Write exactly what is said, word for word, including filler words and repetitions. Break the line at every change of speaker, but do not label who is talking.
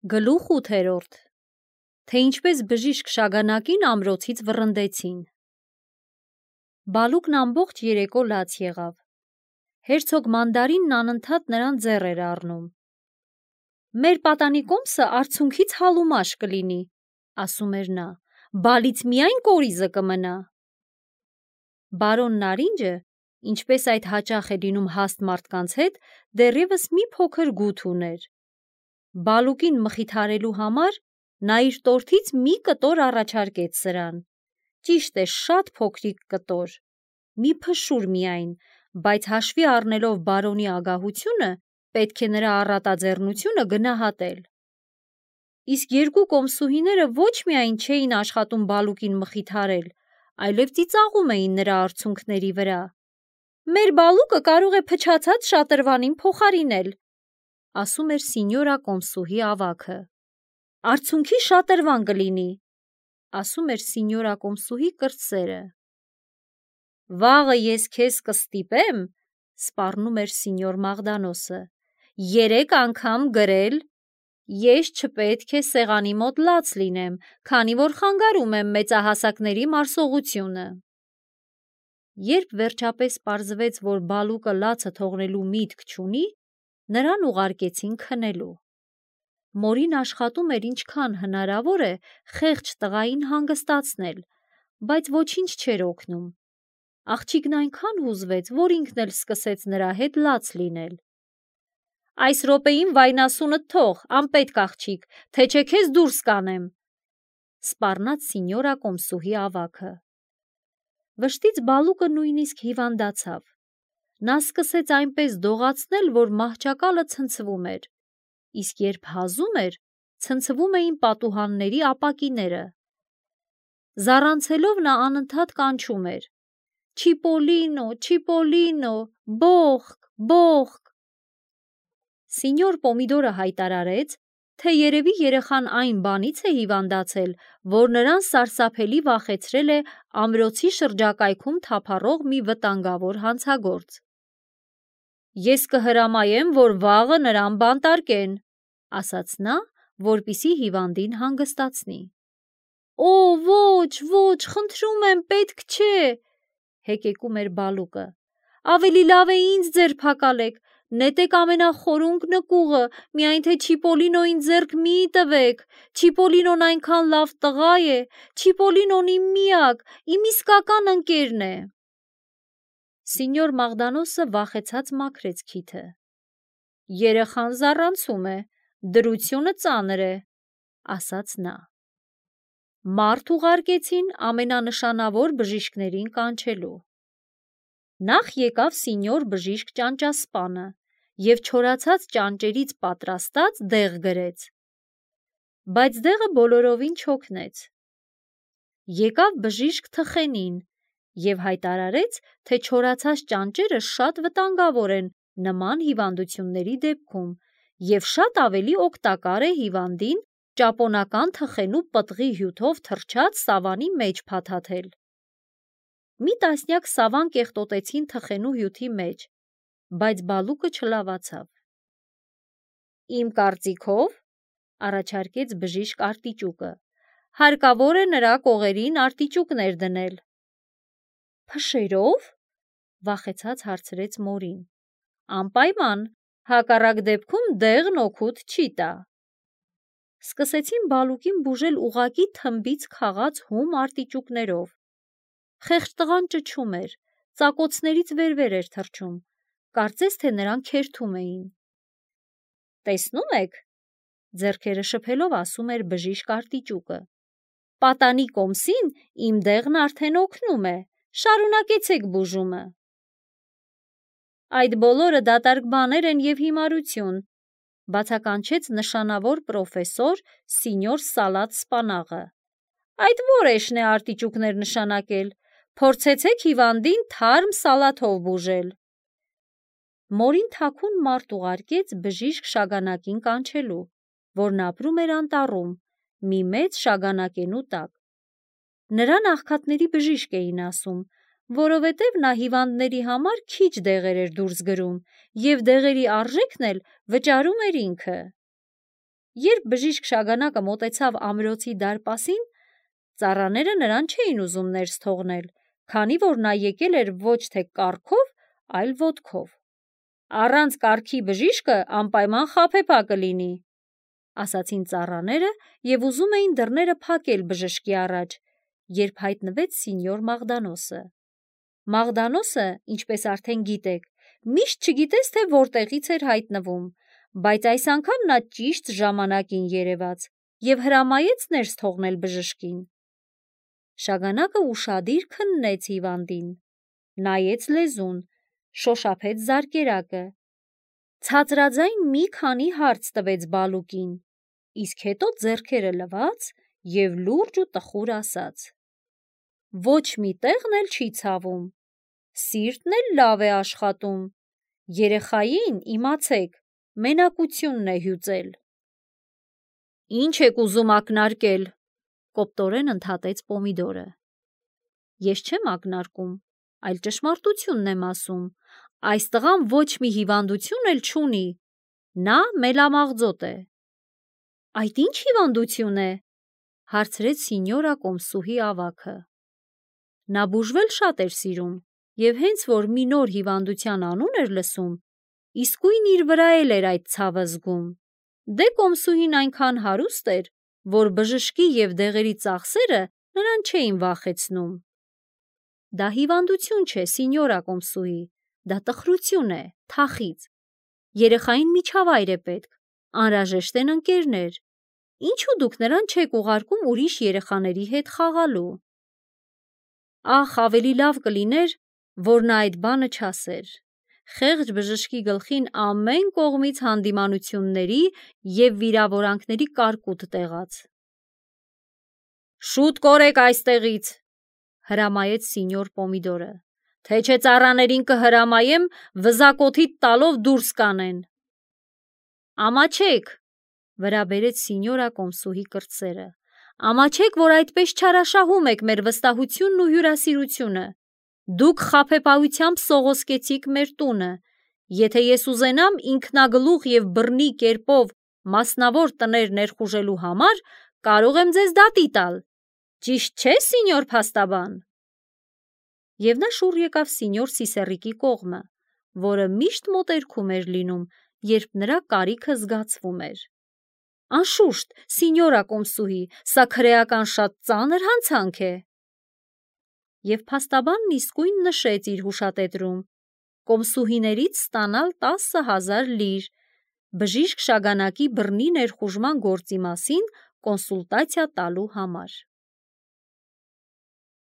Գլուխ ութերորդ. Թե ինչպես բժիշկ Շագանակին ամրոցից վռնդեցին։ Բալուկն ամբողջ երեկո լաց եղավ։ Հերցոգ Մանդարինն անընդհատ նրան ձեռ էր առնում։ Մեր պատանի կոմսը արցունքից հալումաշ կլինի, ասում էր նա, բալից միայն կորիզը կմնա։ Բարոն Նարինջը, ինչպես այդ հաճախ է լինում հաստ մարդկանց հետ, դեռևս մի փոքր գութ ուներ։ Բալուկին մխիթարելու համար նա իր տորթից մի կտոր առաջարկեց սրան։ Ճիշտ է, շատ փոքրիկ կտոր, մի փշուր միայն, բայց հաշվի առնելով բարոնի ագահությունը, պետք է նրա առատաձեռնությունը գնահատել։ Իսկ երկու կոմսուհիները ոչ միայն չէին աշխատում Բալուկին մխիթարել, այլև ծիծաղում էին նրա արցունքների վրա։ Մեր Բալուկը կարող է փչացած շատրվանին փոխարինել, ասում էր սինյորա կոմսուհի ավագը։ Արցունքի շատրվան կլինի, ասում էր սինյորա կոմսուհի կրտսերը։ Վաղը ես քեզ կստիպեմ, սպառնում էր սինյոր Մաղդանոսը, երեք անգամ գրել, ես չպետք է սեղանի մոտ լաց լինեմ, քանի որ խանգարում եմ մեծահասակների մարսողությունը։ Երբ վերջապես պարզվեց, որ Բալուկը լացը թողնելու միտք չունի, նրան ուղարկեցին քնելու։ Մորին աշխատում էր ինչքան հնարավոր է խեղճ տղային հանգստացնել, բայց ոչինչ չէր օգնում։ Աղջիկն այնքան հուզվեց, որ ինքն էլ սկսեց նրա հետ լաց լինել։ Այս րոպեին վայնասունդ թող, անպետք աղջիկ, թե չէ քեզ դուրս կանեմ, սպառնաց սինյորա կոմսուհի ավագը։ Վշտից Բալուկը նույնիսկ հիվանդացավ։ Նա սկսեց այնպես դողացնել, որ մահճակալը ցնցվում էր, իսկ երբ հազում էր, ցնցվում էին պատուհանների ապակիները։ Զառանցելով նա անընդհատ կանչում էր. Չիպոլինո, Չիպոլինո, բողք, բողք։ Սինյոր Պոմիդորը հայտարարեց, թե երևի երեխան այն բանից է հիվանդացել, որ նրան սարսափելի վախեցրել է ամրոցի շրջակայքում թափառող մի վտանգավոր հանցագործ։ Ես կհրամայեմ, որ վաղը նրան բանտարկեն, ասաց նա, որպեսզի հիվանդին հանգստացնի։ Օ, ոչ, ոչ, խնդրում եմ, պետք չէ, հեկեկում էր Բալուկը։ Ավելի լավ է ինձ ձերբակալեք, նետեք ամենախորունկ նկուղը, միայն թե Չիպոլինոյին ձեռք մի տվեք, Չիպոլինոն այնքան լավ տղա է, Չիպոլինոն իմ միակ, իմ իսկական ընկերն է։ Սինյոր Մաղդանոսը վախեցած մաքրեց քիթը։ Երեխան զառանցում է, դրությունը ծանր է, ասաց նա։ Մարդ ուղարկեցին ամենանշանավոր բժիշկներին կանչելու։ Նախ եկավ սինյոր բժիշկ Ճանճասպանը և չորացած ճանճերից պատրաստած դեղ գրեց։ Բայց դեղը բոլորովին չօգնեց։ Եկավ բժիշկ Թխենին և հայտարարեց, թե չորացած ճանճերը շատ վտանգավոր են նման հիվանդությունների դեպքում և շատ ավելի օգտակար է հիվանդին ճապոնական թխենու պտղի հյութով թռչած սավանի մեջ փաթաթել։ Մի տասնյակ սավան կեղտոտեցին թխենու հյութի մեջ, բայց Բալուկը չլավացավ։ Իմ կարծիքով, առաջարկեց բժիշկ Արտիճուկը, հարկավոր է նրա կողերին արտիճուկներ դնել։ Փշերով, վախեցած հարցրեց մորին։ Անպայման, հակառակ դեպքում դեղն օգուտ չի տա։ Սկսեցին Բալուկին բուժել ուղղակի թմբից քաղած հում արտիճուկներով։ Խեղճ տղան ճչում էր, ծակոցներից վեր-վեր էր թռչում, կարծես թե նրան քերթում էին։ Տեսնում եք, ձեռքերը շփելով ասում էր բժիշկ Արտիճուկը, պատանի կոմսին իմ դեղն արդեն օգնում է, շարունակեցեք բուժումը։ Այդ բոլորը դատարկ բաներ են և հիմարություն, բացականչեց նշանավոր պրոֆեսոր սինյոր Սալատ Սպանաղը։ Այդ որեշն է արտիճուկներ նշանակել, փորձեցեք հիվանդին թարմ սալաթով բուժել։ Մորին թաքուն մարդ ուղարկեց բժիշկ Շագանակին կանչելու, որն ապրում էր անտառում, մի մեծ շագանակենու տակ։ Նրան աղքատների բժիշկ էին ասում, որովհետև նա հիվանդների համար քիչ դեղեր էր դուրս գրում և դեղերի արժեքն էլ վճարում էր ինքը։ Երբ բժիշկ Շագանակը մոտեցավ ամրոցի դարպասին, ծառաները նրան չէին ուզում ներս թողնել, քանի որ նա եկել էր ոչ թե կառքով, այլ ոտքով։ Առանց կառքի բժիշկը անպայման խաբեբա կլինի, ասացին ծառաները և ուզում էին դռները փակել բժշկի առաջ, երբ հայտնվեց սինյոր Մաղդանոսը։ Մաղդանոսը, ինչպես արդեն գիտեք, միշտ չգիտես, թե որտեղից էր հայտնվում, բայց այս անգամ նա ճիշտ ժամանակին երևաց և հրամայեց ներս թողնել բժշկին։ Շագանակը ուշադիր քննեց հիվանդին, նայեց լեզուն, շոշափեց զարկերակը, ցածրաձայն մի քանի հարց տվեց բալուկին, իսկ հետո ձեռքերը լվաց և լուրջ ու տխուր ասաց. «Ոչ մի տեղն էլ չի ցավում, սիրտն էլ լավ է աշխատում, երեխային, իմացեք, մենակությունն է հյուծել»։ «Ինչ եք ուզում ակնարկել», կոպտորեն ընդհատեց Պոմիդորը։ «Ես չեմ ակնարկում, այլ ճշմարտությունն եմ ասում, այս տղան ոչ մի հիվանդություն էլ չունի, նա մելամաղձոտ է»։ «Այդ ի՞նչ հիվանդություն է», հարցրեց սինյորա Կոմսուհի ավագը։ Նա բուժվել շատ էր սիրում և հենց որ մի նոր հիվանդության անուն էր լսում, իսկույն իր վրա էլ էր այդ ցավը զգում։ Դե Կոմսուհին այնքան հարուստ էր, որ բժշկի և դեղերի ծախսերը նրան չէին վախեցնում։ «Դա հիվանդություն չէ, սինյորա Կոմսուհի, դա տխրություն է, թախիծ։ Երեխային միջավայր է պետք, անհրաժեշտ են ընկերներ։ Ինչու դուք նրան չեք ուղարկում ուրիշ երեխաների հետ խաղալու»։ Ախ, ավելի լավ կլիներ, որ նա այդ բանը չասեր։ Խեղճ բժշկի գլխին ամեն կողմից հանդիմանությունների և վիրավորանքների կարկուտ տեղաց։ «Շուտ կորեք այստեղից», հրամայեց սինյոր Պոմիդորը, «թե չէ ծառաներին կհրամայեմ վզակոթիդ տալով դուրս կանեն»։ «Ամաչեք», վրա բերեց սինյորա Կոմսուհի կրտսերը, «ամաչեք, որ այդպես չարաշահում եք մեր վստահությունն ու հյուրասիրությունը։ Դուք խաբեբայությամբ սողոսկեցիք մեր տունը։ Եթե ես ուզենամ ինքնագլուխ և բռնի կերպով մասնավոր տներ ներխուժելու համար, կարող եմ ձեզ դատի տալ։ Ճիշտ չէ՞, սինյոր փաստաբան»։ Եվ նա շուռ եկավ սինյոր Սիսեռիկի կողմը, որը միշտ մոտերքում էր լինում, երբ նրա կարիքը զգացվում էր։ «Անշուշտ, սինյորա Կոմսուհի, սա քրեական շատ ծանր հանցանք է»։ Եվ փաստաբանն իսկույն նշեց իր հուշատետրում Կոմսուհիներից ստանալ տասը հազար լիր բժիշկ Շագանակի բռնի ներխուժման գործի մասին կոնսուլտացիա տալու համար։